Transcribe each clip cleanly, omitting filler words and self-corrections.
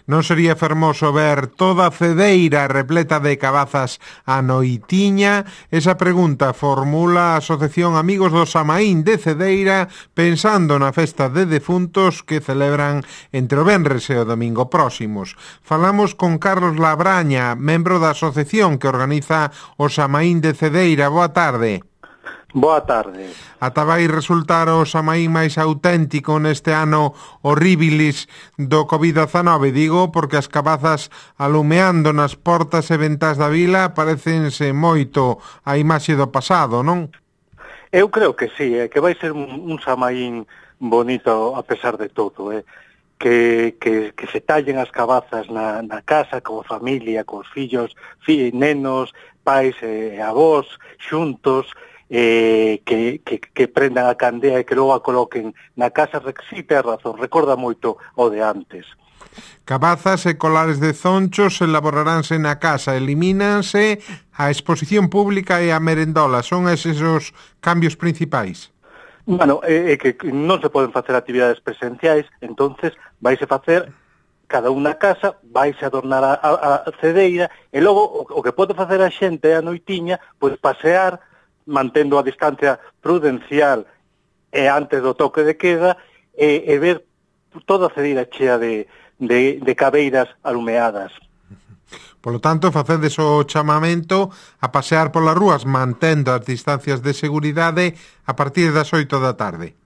Non sería fermoso ver toda a Cedeira repleta de cabazas a noitiña? Esa pregunta formula a Asociación Amigos do Samaín de Cedeira pensando na festa de defuntos que celebran entre o venres e o domingo próximos. Falamos con Carlos Labraña, membro da asociación que organiza o Samaín de Cedeira. Boa tarde. Boa tarde. Ata vai resultar o Samaín máis auténtico neste ano horribilis do Covid-19, digo, porque as cabazas alumeando nas portas e ventás da vila parecense moito a imaxe do pasado, non? Eu creo que sí, que vai ser un Samaín bonito a pesar de todo, que se tallen as cabazas na casa, coa familia, cos fillos, nenos, pais e avós, xuntos, que prendan a candea e que logo a coloquen na casa. Sí, ten razón, recorda moito o de antes. Cabazas e colares de zonchos elaboraránse na casa, elimínanse a exposición pública e a merendola. Son eses os cambios principais? Bueno, que non se poden facer actividades presenciais, entonces vaise facer cada unha casa, vaise adornar a cedeira, e logo o que pode facer a xente a noitiña, pois pasear, mantendo a distancia prudencial e antes do toque de queda, e ver toda a cedeira chea de cabeiras alumeadas. Polo tanto, facedes o chamamento a pasear polas rúas mantendo as distancias de seguridade a partir das 8 da tarde.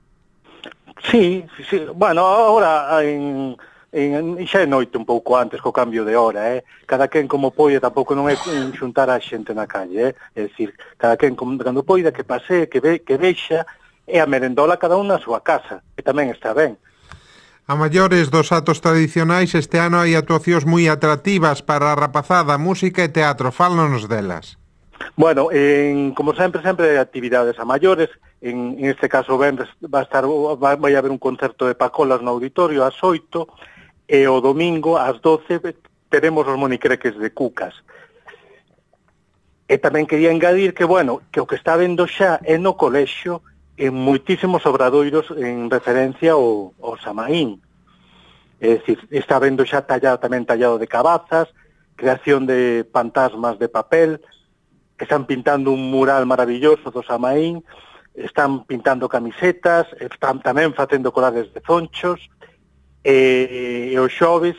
Sí. Bueno, agora xa é noite un pouco antes co cambio de hora, cada quen como poida, tampouco non é xuntar a xente na calle, é dicir, cada quen cando poida que pasee, que vexa, e a merendola cada un na súa casa, que tamén está ben. A maiores dos atos tradicionais, este ano hai actuacións moi atractivas para a rapazada, música e teatro. Fálanos delas. Bueno, como sempre hai actividades a maiores. En este caso venres vai haber un concerto de Pacolas no auditorio ás 8, e o domingo ás 12 teremos os monicreques de Cucas. E tamén quería engadir que, bueno, que o que está vendo xa é no colexio en moitísimos obradoiros en referencia ao Samaín. É dicir, está vendo xa tamén tallado de cabazas, creación de fantasmas de papel, que están pintando un mural maravilloso do Samaín, están pintando camisetas, están tamén facendo colares de zonchos, e os xoves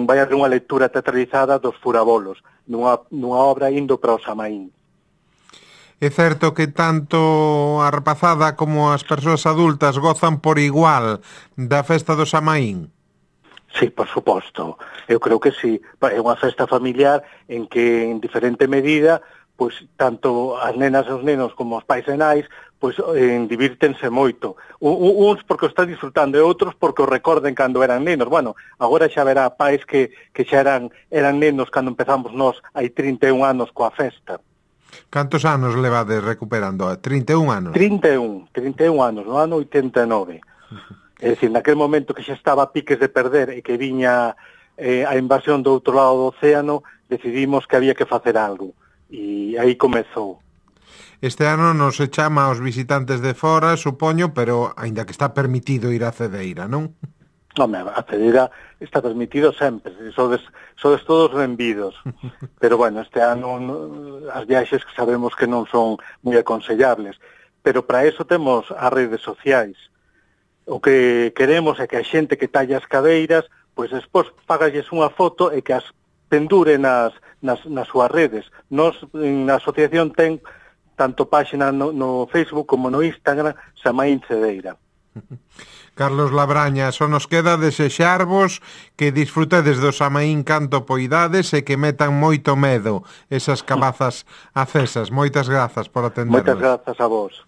vai haber unha lectura teatralizada dos Furabolos, nunha obra indo para o Samaín. É certo que tanto a rapazada como as persoas adultas gozan por igual da festa do Samaín? Sí, por suposto. Eu creo que sí. É unha festa familiar en que, en diferente medida, pois tanto as nenas e os nenos como os pais e nais pois divírtense moito. Uns porque o están disfrutando e outros porque o recorden cando eran nenos. Bueno, agora xa verá pais que xa eran nenos cando empezamos nós hai 31 anos coa festa. Cantos anos levades recuperando? 31 anos? 31 anos, no ano 89. É dicir, naquele momento que xa estaba a piques de perder e que viña a invasión do outro lado do océano, decidimos que había que facer algo. E aí comezou. Este ano non se chama aos visitantes de fora, supoño, pero aínda que está permitido ir a Cedeira, non? Home, a Cedeira está permitido sempre, sodes todos benvidos. Pero, bueno, este ano as viaxes que sabemos que non son moi aconsellables. Pero para eso temos as redes sociais. O que queremos é que a xente que talla as cadeiras, pois despois pagalles unha foto e que as pendure nas súas redes. Nos, na asociación, ten tanto páxina no Facebook como no Instagram, Samaín Cedeira. Carlos Labraña, só nos queda desexarvos que disfrutedes do Samaín canto poidades e que metan moito medo esas cabazas acesas. Moitas grazas por atendernos. Moitas grazas a vos.